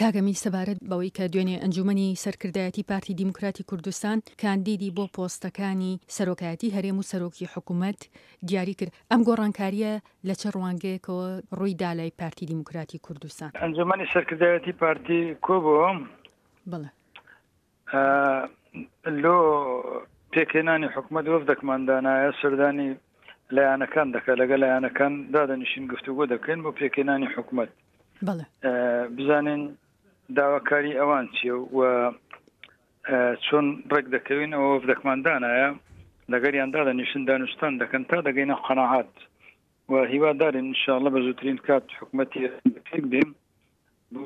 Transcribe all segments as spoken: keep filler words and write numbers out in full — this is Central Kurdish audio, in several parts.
کاک ئەمین سەبارەت بەوەی کە دوێنێ ئەنجومەنی سەرکردایەتی پارتی دیموکراتی کوردستان کاندیدی بۆ پۆستەکانی سەرۆکایەتی هەرێم و سەرۆکی حکومەت دیاری کرد، ئەم گۆڕانکارییە لە چ ڕوانگەیەکەوە ڕووی دا لای پارتی دیموکراتی کوردستان؟ ئەنجومەنی سەرکردایەتی پارتی کۆبووە. بەڵێ. لۆ پێکهێنانی حکومەت وەفدەکمان دانایە، سەردانی لایەنەکان دەکات، لەگەڵ لایەنەکان دادەنیشین گفتوگۆ دەکەین بۆ پێکهێنانی حکومەت. بەڵێ. بزانین داواکاری ئەوان چییە و چۆن ڕێک دەکەوین. ئەوە وەفدەکمان دانایە، لەگەریان دادەنیشن دانوستان دەکەن تا دەگەینە قەناعات و هیوادارین ئینشاءڵڵە بە زووترین کات حکومەتی پێک بێ بۆ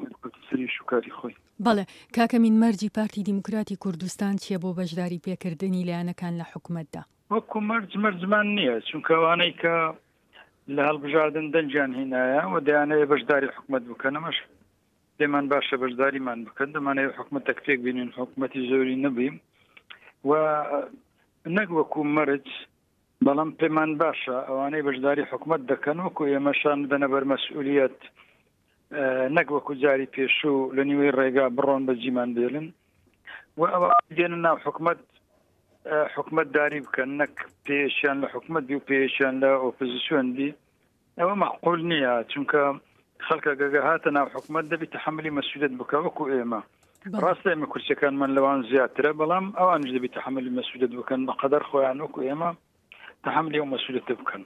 سەری شوکاری خۆی. بەڵێ کاکە مین، مەرجی پارتی دیموکراتی کوردستان چییە بۆ بەشداری پێکردنی لایەنەکان لە حکومەتدا؟ وەکو مەرج مەرجمان نییە، چونکە ئەوانەی کە لە هەڵبژاردن دەنگیان هینایە و دەیانەوێت بەشداری حکومەت بکەن، ئەمەش پێمان باشە بەشداریمان بکەن. دەمانەوێت حکومەتێک پێک بینین، حکومەتی زۆری نەبین و نەک وەکو مەرج، بەڵام پێمان باشە ئەوانەی بەشداری حکومەت دەکەن وەکو ئێمەشان بدەنە بەر مەسئولیەت، نەک وەکو جاری پێشوو لە نیوەی ڕێگا بڕۆن بە جیمان بێلن و ئەوە دێنە ناو حکومەت حکومەت داری بکەن، نەک پێشیان لە حکومەت بی و پێشیان لە ئۆپۆزیسیۆن بی. ئەوە مەعقول نییە، چونکە خەڵکە گەگە هاتە ناو حکومەت دەبی تەحەمولی مەسئولیەت بکە وەکو ئێمە. ڕاستە ئێمە کورسیەکانمان لەوان زیاترە، بەڵام ئەوانش دەبی تەحەمولی مەسئولیەت بکەن بە قەدەر خۆیان وەکو ئێمە تەحەمولی ئەو مەسئولیەتە بکەن.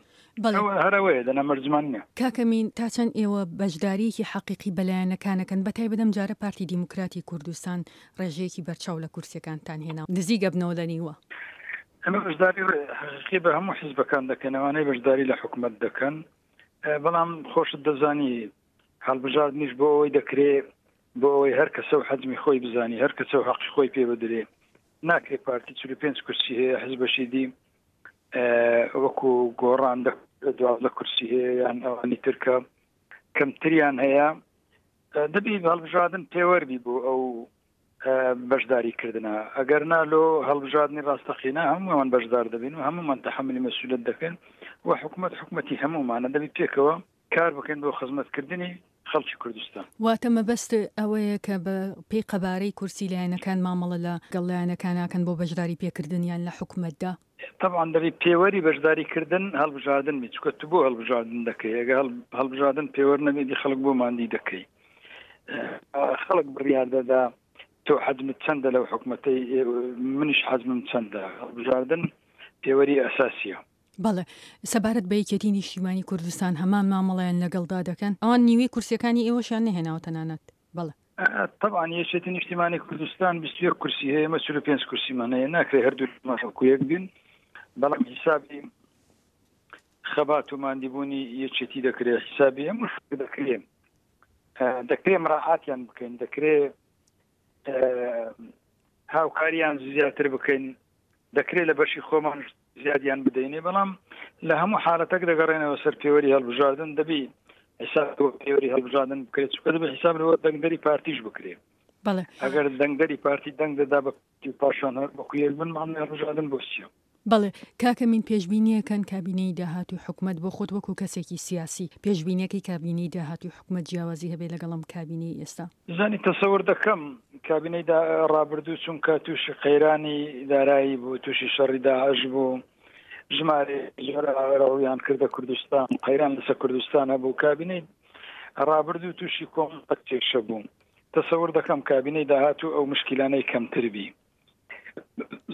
ئەوە هەر ئەوەیە، دەنا مەرجمان نییە. کاکە مین، تا چەند ئێوە بەشداریەکی حەقیقی بە لایەنەکانەکەن، بە تایبەت ئەم جارە پارتی دیموکراتی کوردستان ڕێژەیەکی بەرچاو لە کورسیەکانتان هێنا، نزیک ئەبنەوە لە نیوە؟ ئەمە بەشداری حەقیقی بە هەموو حیزبەکان دەکەن، ئەوانەی بەشداری لە حکومەت دەکەن، بەڵام خۆشت دەزانی هەڵبژاردنیش بۆ ئەوەی دەکرێ بۆ ئەوەی هەر کەسە و حەجمی خۆی بزانی، هەر کەسە و حەقی خۆی پێ بدرێ. ناکرێ پارتی چل و پێنج کورسی هەیە، حیزبەشی دی وەکو گۆڕان دوازدە کورسی هەیە یان ئەوانی ترکە کەمتریان هەیە. دەبی هەڵبژاردن پێوەربی بۆ ئەو بەشداری کردنە، ئەگەر نا لۆ هەڵبژاردنی ڕاستەقینە هەموومان بەشدار دەبین و هەموومان تەحەمولی مەسئولیەت دەکەین و حکومەت حکومەتی هەموومانە، دەبی پێکەوە کار بکەین بۆ خزمەتکردنی خەڵکی کوردستان. واتە مەبەست ئەوەیە کە بە پێی قەبارەی کورسی لایەنەکان مامەڵە لەگەڵ لایەنەکان ناکەن بۆ بەشداری پێکردنیان لە حکومەتدا؟ طبعا دەبی پێوەری بەشداریکردن هەڵبژاردن بی، چونکە تو بۆ هەڵبژاردن دەکەی. ئەگە هەڵبژاردن پێوەر نەبی دی خەڵک بۆ ماندی دەکەی. خەڵک بڕیار دەدا تۆ حەجمت چەندە لەو حکومەتەی، منیش حەجمم چەندە. هەڵبژاردن پێوەری ئەساسیە. بەڵێ، سەبارەت بە یەکێتی نیشتیمانی کوردستان هەمان مامەڵەیان لەگەڵدا دەکەن؟ ئەوان نیوەی کورسیەکانی ئێوەشیان نەهێناوە تەنانەت. بەڵێ. طبعا یەکێتی نیشتیمانی کوردستان بیست و یەک کورسی هەیە، ئێمە چل و پێنج کورسیمان هەیە، ناکرێ هەردوو وەکو یەک بین. بەڵام حیسابی خەبات و ماندیبوونی یەکێتی دەکرێت، حیسابی هەموو شتێک دەکرێت، دەکرێت مراعاتیان بکەین، دەکرێت هاوکاریان زیاتر بکەین، دەکرێت لە بەشی خۆمان زیادیان بدەینێ. بەڵام لە هەموو حالەتێک دەگەڕێنەوە سەر پێوەری هەڵبژاردن، دەبی حساب پێوەری هەڵبژاردن بکرێت، چونکە دەبی حساب لەوە دەنگدەری پارتیش بکرێت. بەڵێ. ئەگەر دەنگدەری پارتی دەنگ دەدا بە پاشان هەر وەکو یەک بن، مامەی هەڵبژاردن بۆ چییە؟ بەڵێ کاکە مین، پێشبینیەکەن کابینەی داهاتوی حکومەت بۆ خۆت وەکو کەسێکی سیاسی پێشبینیەکەی کابینەی داهاتوی حکومەت جیاوازی هەبێت لەگەڵم کابینەی ئێستا؟ زانی تەسەور دەکەم کابینەی ڕابردوو چونکە تووشی قەیرانی دارایی بوو، تووشی شەڕی داعش بوو، ژمارە زۆر ڕوویان کردە کوردستان، قەیران لەسەر کوردستان هەبوو، کابینەی ڕابردوو تووشی کۆمەڵێک کێشە بوو. تەسەور دەکەم کابینەی داهاتوو ئەو مشکلانەی کەمتر بی،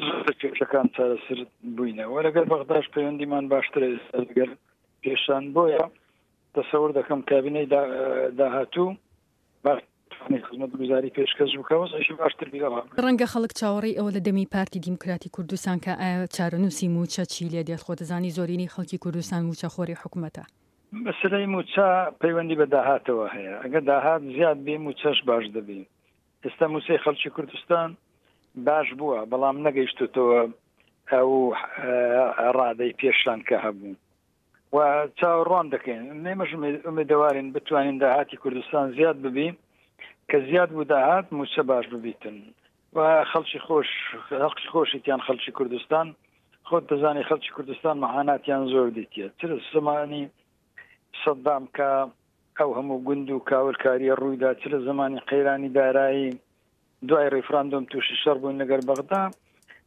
زۆر کێشەکان چارەسەر بووینەوە. لەگەڵ بەغداش پەیوەندیمان باشترە ئێستا لەگەڵ پێشان، بۆیە تەسەور دەکەم کابینەی داهاتوو باشترین خزمەتگوزاری پێشکەش بکە، وەزعیشی باشتر بی لە ڕابردوو. ڕەنگە خەڵک چاوەڕێی ئەوە لە دەمی پارتی دیموکراتی کوردستان کە ئایا چارەنووسی موچە چی لێ دێت؟ خۆ دەزانی زۆرینەی خەڵکی کوردستان موچەخۆری حکومەتە. مەسەلەی موچە پەیوەندی بە داهاتەوە هەیە، ئەگەر داهات زیاد بێ موچەش باش دەبی. ئێستا موچەی خەڵکی کوردستان باش بووە، بەڵام نەگەیشتوتەوە ئەو ڕادەی پێشان کە هەبوو و چاوەڕوان دەکەین. ئێمەش ئومێدەوارین بتوانین داهاتی کوردستان زیاد ببی، کە زیاد بوو داهات موچە باش ببیتن و خەڵکی خۆش، خەڵکی خۆشیتیان خەڵکی کوردستان. خۆت دەزانی خەڵکی کوردستان مەعاناتیان زۆر دیتیە، چ لە زمانی سەدام کە ئەو هەموو گوند و کاولکاریە ڕوویدا، چ لە زمانی قەیرانی دارایی دوای ڕیفراندۆم تووشی شەڕ بووین لەگەر بەغدا،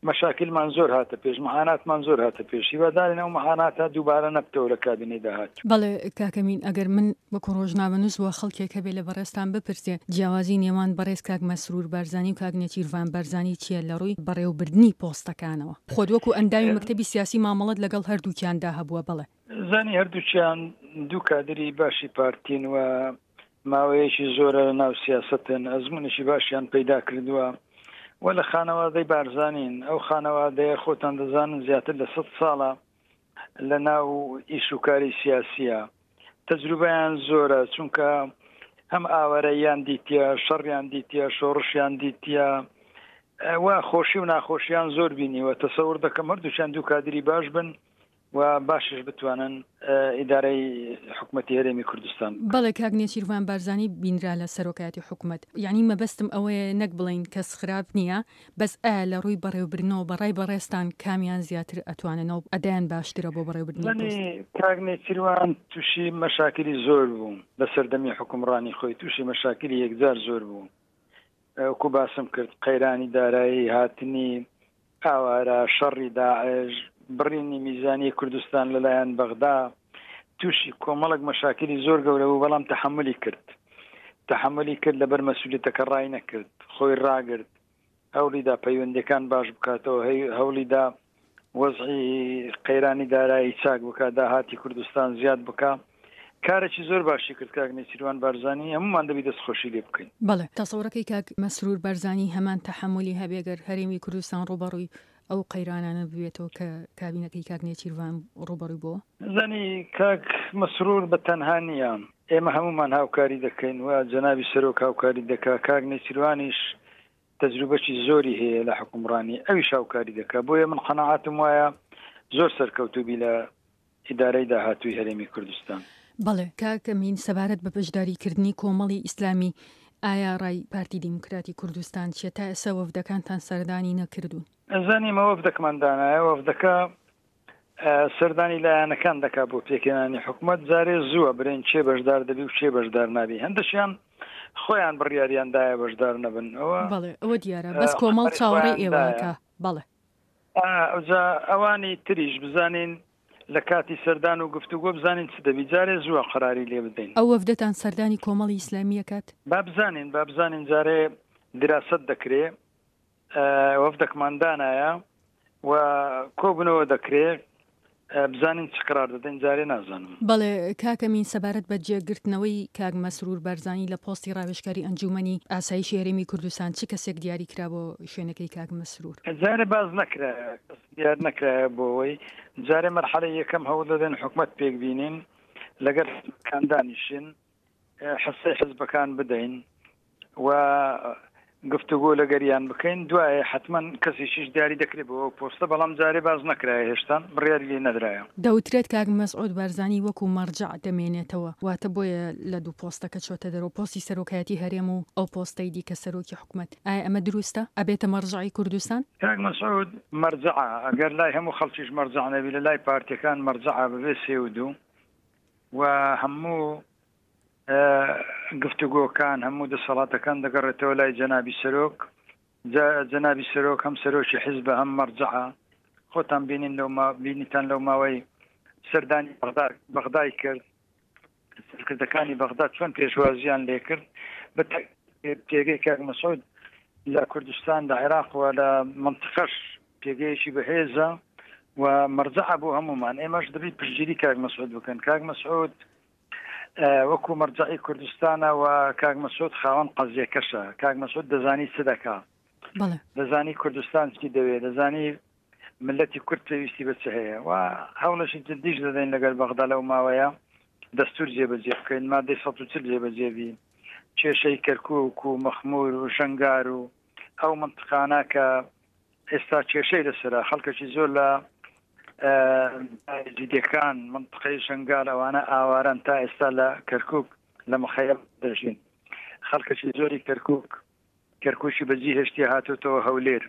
مەشاکلمان زۆر هاتە پێش، معاناتمان زۆر هاتە پێش. هیوادارین ئەو معاناتە دووبارە نەبتەوە لە کابینەی داهاتوو. بەڵێ کاک ئەمین، ئەگەر من وەکو ڕۆژنامەنووس وە خەڵکێک هەبێ لە بەڕێزتان بپرسێ جیاوازی نێوان بەڕێز کاک مەسرور بارزانی و کاک نێچیرڤان بارزانی چییە لە ڕووی بەڕێوەبردنی پۆستەکانەوە؟ خۆت وەکو ئەندامی مەکتەبی سیاسی مامەڵەت لەگەڵ هەردووکیاندا هەبووە. بەڵێ. زانی هەردووکیان دوو کادری باشی پارتین و ماوەیەکی زۆرە لە ناو سیاسەتن، ئەزمونێکی باشیان پەیدا کردووە و لە خانەوادەی بارزانین. ئەو خانەوادەیە خۆتان دەزانن زیاتر لە سەد ساڵە لە ناو ئیش و کاری سیاسیە، تەجروبەیان زۆرە، چونکە هەم ئاوارەیان دیتیە، شەڕیان دیتیە، شۆڕشیان دیتیە و خۆشی و ناخۆشیان زۆر بینیوە. تەسەور دەکەم هەردووکیان دوو کادری باش بن و باشش بتوانن ئیدارەی حکوومەتی هەرێمی کوردستان. بەڵێ کاک نێچیرڤان بارزانی بینرا لە سەرۆکایەتی حکوومەت، یعنی مەبەستم ئەوەیە نەک بڵین کەس خراپ نییە، بەس ئایا لە ڕووی بەڕێوەبردنەوە بەڕای بەڕێزتان کامیان زیاتر ئەتواننەوە ئەدایان باشترە بۆ بەڕێوەبردنی پۆست؟ کاک نێچیروان تووشی مەشاکلی زۆر بوو لە سەردەمی حکومڕانی خۆی، تووشی مەشاکلی یەکجار زۆر بوو. وەکو باسم کرد قەیرانی دارایی، هاتنی ئاوارە، شەڕی داعش، بڕینی میزانی کوردستان لەلایەن بەغدا، تووشی کۆمەڵێک مەشاکلی زۆر گەورە بوو، بەڵام تەحەمولی کرد، تەحەمولی کرد، لەبەر مەسئولیەتەکە ڕای نەکرد، خۆی ڕاگرت، هەوڵیدا پەیوەندەکان باش بکاتەوە، هەوڵیدا وەزعی قەیرانی دارایی چاک بکات، داهاتی کوردستان زیاد بکات. کارێکی زۆر باشی کرد کاک نێچیروان بارزانی، هەمومان دەبی دەستخۆشی لێ بکەین. بەڵێ تەسەورەکەی کاک مەسرور بارزانی هەمان تەحەمولی هەبێ گەر هەرێمی کوردستان ڕووبەڕووی ئەو قەیرانانە ببێتەوە کە کابینەکەی کاک نێچیروان ڕووبەڕووی بووە؟ زانی کاک مەسرور بە تەنها نییە، ئێمە هەمومان هاوکاری دەکەین و جەنابی سەرۆک هاوکاری دەکا، کاک نێچیروانیش تەجروبەکی زۆری هەیە لە حکومڕانی، ئەویش هاوکاری دەکا. بۆیە من قەناعەتم وایە زۆر سەرکەوتوو بی لە ئیدارەی داهاتووی هەرێمی کوردستان. بەڵێ کاک ئەمین، سەبارەت بە بەشداریکردنی کۆمەڵی ئیسلامی، ئایا ڕای پارتی دیموکراتی کوردستان چیە؟ تا ئێستا وەفدەکانتان سەردانی نەکردوون؟ زانی ئێمە وەفدەکەمان دانایە، وەفدەکە سەردانی لایەنەکان دەکا بۆ پێکهێنانی حکوومەت. جارێ زووە برێن چێ بەشدار دەبی و چێ بەشدار نابی، هەندەشیان خۆیان بڕیاریان دایە بەشدار نەبن. ئەوە بەڵێ ئەوە دیارە، بەس کۆمەڵ چاوەڕێی ئێوەکە. بەڵێ ئەوجا ئەوانی تریش بزانین لە کاتی سەردان و گفتوگۆ بزانین چ دەبی، جارێ زووە قەراری لێ بدەین. ئەو وەفدەتان سەردانی کۆمەڵی ئیسلامیە کات؟ با بزانین، با بزانین جارێ دراست دەکرێ، وەفدەکمان دانایە و کۆبنەوە دەکرێ، بزانین چ قرار دەدەین، جارێ نازانم. بەڵێ کاک ئەمین، سەبارەت بە جێگرتنەوەی کاک مەسرور بارزانی لە پۆستی ڕاوێژکاری ئەنجومەنی ئاسایشی هەرێمی کوردستان، چ کەسێک دیاری کرا بۆ شوێنەکەی کاک مەسرور؟ جارێ باز نەکرایە، دیار نەکرایە بۆەوەی جارێ مەرحەلەی یەکەم هەوڵ دەدەن حکومەت پێک بینین، لەگەڵ حزبەکان دانیشین، حسەی حزبەکان بدەین و گفتوگۆ لەگەریان بکەین. دوایە حتمما کەسێکیش دیاری دەکرێت بۆ ئەو پۆستە، بەڵام جارێ باز نەکرایە، هێشتان بڕیاری لێ نەدرایە. دەوترێت کاک مەسعود بارزانی وەکو مەرجع دەمێنێتەوە، واتە بۆیە لە دوو پۆستەکە چۆتە دەرەوە، پۆستی سەرۆکایەتی هەرێم و ئەو پۆستەی دیکە سەرۆکی حکومەت. ئایا ئەمە دروستە؟ ئەبێتە مەرجعی کوردستان؟ کاک مەسعود مەرجعە، ئەگەر لای هەموو خەڵکیش مەرجع نەبی، لە لای پارتیەکان مەرجعە بەبێ سێ و دوو و هەموو گفتوگۆکان هەموو دەسەڵاتەکان دەگەڕێتەوە لای جەنابی سەرۆک. جەنابی سەرۆک هەم سەرۆکی حیزبە هەم مەرجعە. خۆتان بینین لەو بینیتان لەو ماوەی سەردانی بەغدای کرد، سەرکردەکانی بەغدا چۆن پێشوازیان لێکرد. بە پێگەی کاک مەسعود لە کوردستان، لە عێراق و لە منطقەش پێگەیەکی بەهێزە و مەرجعە بۆ هەمومان. ئێمەش دەبێت پشتگیری کاک مەسعود بکەن. کاک مەسعود وەکو مەرجعی کوردستانە و کاک مەسعود خاوەن قەزیەکەشە. کاک مەسعود دەزانی چ دەکا، دەزانی کوردستان چی دەوێت، دەزانی ملەتی کورد پێویستی بە چ هەیە و هەوڵێکی جدیش دەدەین لەگەڵ بەغدا لەو ماوەیە دەستور جێبەجێ بکەین، مادەی سەد و چل جێبەجێ بین، کێشەی کەرکوک و مەخمور و شەنگار و ئەو منطقانە کە ئێستا کێشەی لەسەرە، خەڵکێکی زۆر لە جدیەکان منطقەی شەنگال ئەوانە ئاواران تا ئێستا لە کەرکوک لە مخەیەم دەژین. خەڵکێکی زۆری کەرکوک کەرکوکی بەجی هێشتی هاتوتەوە هەولێر.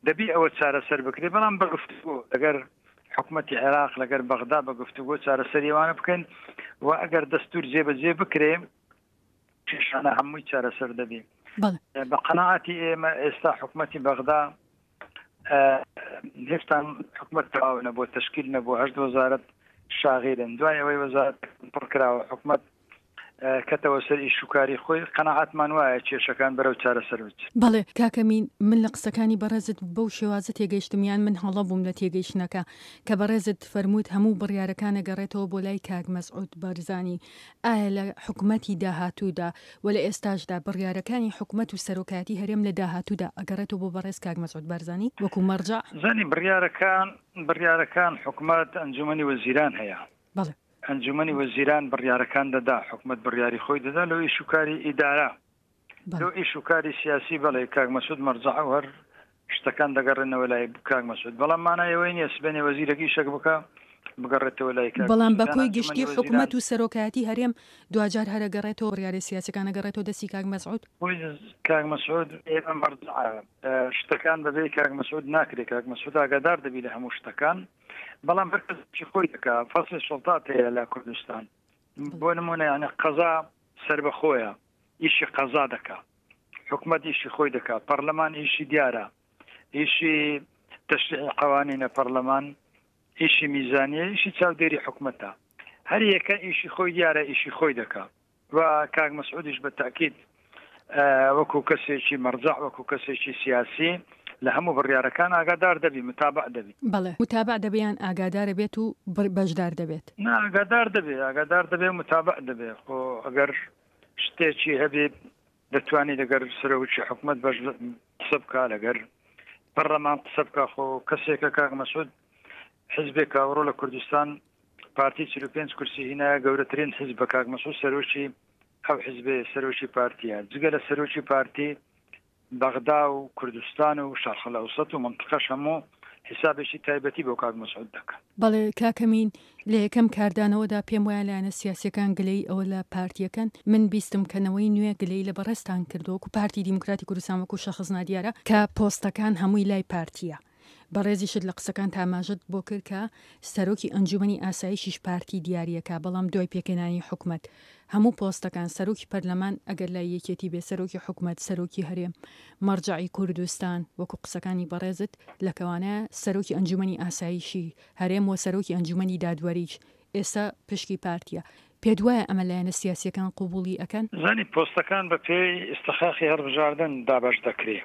دەبی ئەوە چارەسەر بکرێت، بەڵام بە گفتوگۆ لەگەر حکومەتی عێراق لەگەر بەغدا بە گفتوگۆ چارەسەری ئەوانە بکەین و ئەگەر دەستور جێبەجێ بکرێ کێشانە هەمووی چارەسەر دەبی. بە قەناعەتی ئێمە ئێستا حکومەتی بەغدا هێشتا حکومەت تەواو نەبووە، تەشکیل نەبووە، هەشت وەزارەت شاغیرن. دوای ئەوەی وەزارەت پڕکراوە حکومەت کەتەوە سەر ئیشوکاری خۆی، قەناعەتمان وایە کێشەکان بەرەو چارەسەر بچن. بەڵێ کاکە مین، من لە قسەکانی بەڕێزت بەو شێوازە تێگەیشتم، یان من هەڵە بووم لە تێگەیشتنەکە، کە بەڕێزت فەرمووت هەموو بڕیارەکان ئەگەڕێتەوە بۆ لای کاک مەسعود بارزانی. ئایا لە حکومەتی داهاتوودا و لە ئێستاشدا بڕیارەکانی حکومەت و سەرۆکایەتی هەرێم لە داهاتوودا ئەگەڕێتەوە بۆ بەڕێز کاک مەسعود بارزانی وەکو مەرجەع؟ زانی بڕیارەکان بڕیارەکان حکومەت ئەنجومەنی وەزیران هەیە. بەڵێ. ئەنجومەنی وەزیران بڕیارەکان دەدا، حکومەت بڕیاری خۆی دەدا لەو ئیش و کاری ئیدارە، لەو ئیش و کاری سیاسی. بەڵێ کاک مەسعود مەرجەعە و هەر شتەکان دەگەڕێنەوە لای کاک مەسعود، بەڵام مانای ئەوەی نییە سبەینێ وەزیرێک ئیشێک بکە بگەڕێتەوە لای کاک بەڵام مەسعود. بە یان کۆی ئەنجومەنی گشتی وەزیران حکومەت و سەرۆکایەتی هەرێم دواجار هەر ئەگەڕێتەوە، بڕیارە سیاسیەکان ئەگەڕێتەوە دەستی کاک مەسعود؟ خۆی کاک مەسعود ئێمە مەرجەعە، شتەکان بەبێ کاک مەسعود ناکرێت. کاک مەسعود ئاگادار دەبی لە هەموو شتەکان، بەڵام هەر کەسێکی خۆی دەکا. فەصلی سوڵتات هەیە لە کوردستان، بۆ نمونە یعنی قەزا سەربەخۆیە، ئیشی قەزا دەکا، حکومەت ئیشی خۆی دەکا، پەرلەمان ئیشی دیارە، ئیشی تەشریعی قوانینە پەرلەمان، ئیشی میزانیە، ئیشی چاودێری حکومەتە. هەر یەکە ئیشی خۆی دیارە، ئیشی خۆی دەکا. و کاک مەسعودیش بە تاکید وەکو کەسێکی مەرجەع، وەکو کەسێکی سیاسی لە هەموو بڕیارەکان ئاگادار دەبی، متابع دەبی. بەڵێ متابع دەبێ یان ئاگادارە بێت و بەشدار دەبێت؟ نا ئاگادار دەبێ، ئاگادار دەبێ و متابع دەبێ. خۆ ئەگەر شتێکی هەبێ دەتوانێت لەگەر سەرۆکی حکومەت بەش قسە بکا، لەگەر پەرلەمان قسە بکا. خۆ کەسێکە کاک مەسعود حزبێک ئەوڕۆ لە کوردستان پارتی چل و پێنج کورسی هینایە، گەورەترین حزب بە کاک مەسعود سەرۆکی ئەو حزبێ، سەرۆکی پارتیە. جگە لە سەرۆکی پارتی بەغدا و کوردستان و شەرق الئەوسەط و منطقەش هەموو حسابێکی تایبەتی بۆ کاک مەسعود دەکەن. بەڵێ کاکەمین، لە یەکەم کاردانەوەدا پێم وایە لایەنە سیاسیەکان گلەی ئەوە لە پارتیەکەن. من بیستم کەنەوەی نوێ گلەی لە بەڕێزتان کردووە وەکو پارتی دیموکراتی کوردستان وەکو شەخص نادیارە کە پۆستەکان هەمووی لای پارتیە. بەڕێزیشت لە قسەکان تاماژت بۆ کرد کە سەرۆکی ئەنجومەنی ئاسایشیش پارتی دیاریەکە، بەڵام دوای پێکهێنانی حکومەت هەموو پۆستەکان سەرۆکی پەرلەمان ئەگەر لای یەکێتی بێ، سەرۆکی حکومەت، سەرۆکی هەرێم، مەرجەعی کوردستان وەکو قسەکانی بەڕێزت لەکەوانە سەرۆکی ئەنجومەنی ئاسایشی هەرێم و سەرۆکی ئەنجومەنی دادوەریش ئێستا پشکی پارتیە. پێت وایە ئەمە لایەنە سیاسیەکان قوبوڵی ئەکەن؟ زانی پۆستەکان بە پێی ئیستحقاقی هەڵبژاردن دابەش دەکرێ.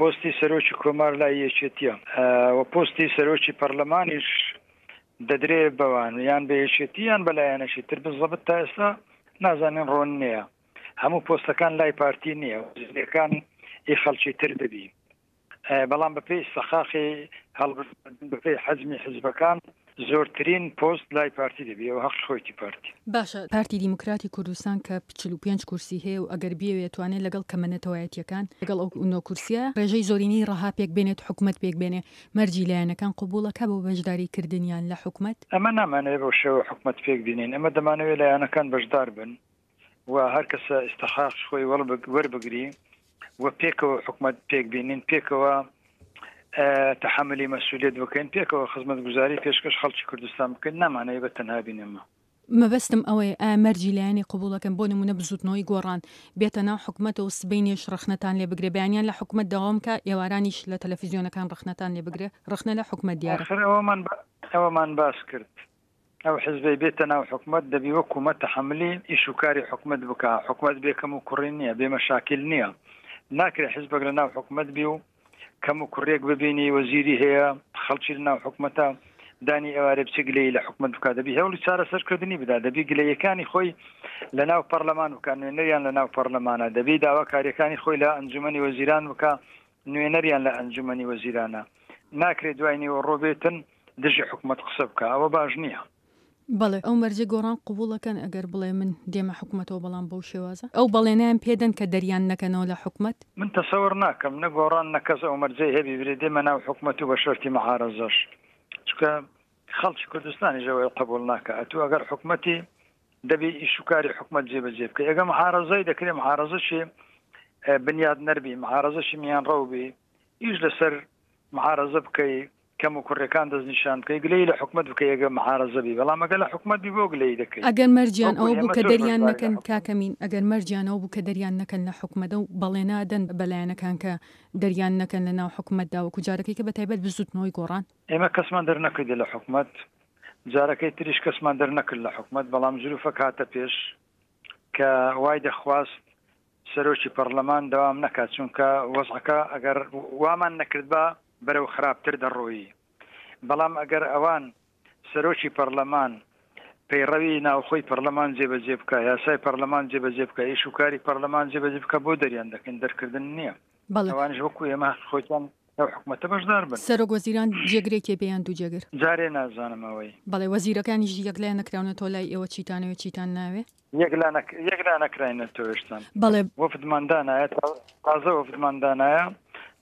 پۆستی سەرۆکی کۆمار لای یەکێتیە و پۆستی سەرۆکی پەرلەمانیش دەدرێ بەوان، یان بە یەکێتی یان بە لایەنەشی تر. بزەبت تا ئێستا نازانین ڕۆن نییە، هەموو پۆستەکان لای پارتی نییە، وەزیرەکان ئی خەڵکی تر دەبی. بەڵام بەپێی ئیستحقاقی هەڵبژاردن، بەپێی حەجمی حزبەکان زۆرترین پۆست لای پارتی دەبی، ئەو حەقی خۆیتی پارتی. باشە پارتی دیموکراتی کوردستان کە چل و پێنج کورسی هەیە و ئەگەر بیەوێت توانێت لەگەڵ کەمە نەتەوایەتیەکان لەگەڵ ئەو نۆ کورسیە ڕێژەی زۆرینەی ڕەها پێک بێنێت، حکومەت پێک بێنێ، مەرجی لایەنەکان قبوڵەکە بۆ بەشداری کردنیان لە حکومەت؟ ئەمە نامانەوێت بەو شێوە حکومەت پێک بینین، ئەمە دەمانەوێت لایەنەکان بەشدار بن و هەر کەسە ئیستحقاق خۆی وەربگری و پێکەوە حکومەت پێک بینین، پێکەوە تحملی مەسئولیت بکەین، پێکەوە خزمەتگوزاری پێشکەش خەڵکی کوردستان بکەین. نامانەوێت بە تەنها بینەمە. مەبەستم ئەوەیە ئایا مەرجی لایەنی قبوڵەکەن بۆ نمونە بزوتنەوەی گۆڕان بێتە ناو حکومەتەوە سبەینێش ڕەخنەتان لێ بگرێ، بەیانیان لە حکومەت داوام کە ئێوارانیش لە تەلەفیزیۆنەکان ڕەخنەتان لێ بگرێ، ڕەخنە لە حکومەت دیارە. آخر ئەوەمان ئەوەمان باس کرد، ئەو حزبەی بێتە ناو حکومەت دەبی وەکومە تحملی ئیش و کاری حکومەت بکە. حکومەت بێکەم و کوڕی نییە، بێ مەشاکل نییە. ناکرێ حزبێک لە ناو حکومەت بی و کەم و کوڕێک ببینی وەزیری هەیە خەڵکی لە ناو حکومەتە دانی ئێوارێ بچێ گلەیی لە حکومەت بکات، دەبی هەوڵی چارەسەرکردنی بدا، دەبی گلەیەکانی خۆی لە ناو پەرلەمان بکات، نوێنەریان لە ناو پەرلەمانە، دەبی داواکاریەکانی خۆی لە ئەنجومەنی وەزیران بکە، نوێنەریان لە ئەنجومەنی وەزیرانە. ناکرێت دوای نیوەڕۆ بێتن دژی حکومەت قسە بکە، ئەوە باش نییە. بەڵێ ئەو مەرجە گۆڕان قبوڵەکەن ئەگەر بڵێ من دێمە حکومەتەوە، بەڵام بەو شێوازە ئەو بەڵێنیان پێدەن کە دەریان نەکەنەوە لە حکومەت؟ من تەسەور ناکەم نە گۆڕان نە کەس ئەو مەرجەی هەبی برێ دێمە ناو حکومەت و بە شەرتی معارەزەش، چونکە خەڵکی کوردستانیش ئەوەی قبوڵ ناکە. ئەتوو ئەگەر حکومەتی دەبی ئیش و کاری حکومەت جێبەجێ بکەی، ئەگەر معارەزەی دەکرێ معارەزەشی بنیاد نەربی، معارەزەشی میانڕەو بی، ئیش لەسەر معارەزە بکەی، کەم و کوڕەکان دەستنیشان بکەی، گلەیی لە حکومەت بکەی ئەگەر معارەزە بی، بەڵام ئەگەر لە حکومەت بی بۆ گلەیی دەکەی؟ ئەگەر مەرجیان وەکو ئەوە بوو ئێمە کە زۆر دەریان بەشداری لە نەکەن حکومەت کاکە مین، ئەگەر مەرجیان ئەوە بوو کە دەریان نەکەن لە حکومەتە و بەڵێنادەن بە لایەنەکان کە دەریان نەکەن لە ناو حکومەتدا وەکو جارەکەی کە بە تایبەت بزوتنەوەی گۆڕان. ئێمە کەسمان دەرنەکردی لە حکومەت، جارەکەی تریش کەسمان دەرنەکرد لە حکومەت، بەڵام زروفەک هاتە پێش کە وای دەخواست سەرۆکی پەرلەمان دەوام نەکات، چونکە وەزعەکە ئەگەر وامان نەکردبا بەرەو خراپتر دەڕۆیی. بەڵام ئەگەر ئەوان سەرۆکی پەرلەمان پەیڕەوی ناوخۆی پەرلەمان جێبەجێ بکە، یاسای پەرلەمان جێبەجێ بکە، ئیش و کاری پەرلەمان جێبەجێ بکە، بۆ دەریان دەکەین؟ دەرکردن نییە. بەڵێ. ئەوانیش وەکو ئێمە خۆیان لەو حکومەتە بەشدار بن. سەرۆک وەزیران جێگرێکێ بێ یان دوو جێگر؟ جارێ نازانم ئەوەی. بەڵێ وەزیرەکانیش یەکلا نەکراونەتەوە لای ئێوە چیتانەوێ چیتان ناوێ؟ یەکلا نەک- یەکلا نەکراینەتەوە هێشتان. بەڵێ. وەفدمان دانایە، تا- تازە وەفدمان دانایە،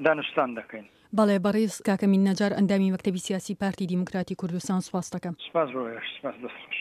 دانوستان دەکەین. بەڵێ بەڕێز کاکە مین نەجار ئەندامی مەکتەبی سیاسی پارتی دیموکراتی کوردستان سوپاس دەکەم. سپاس بۆ ئێوەش، سپاس، دەست خۆش.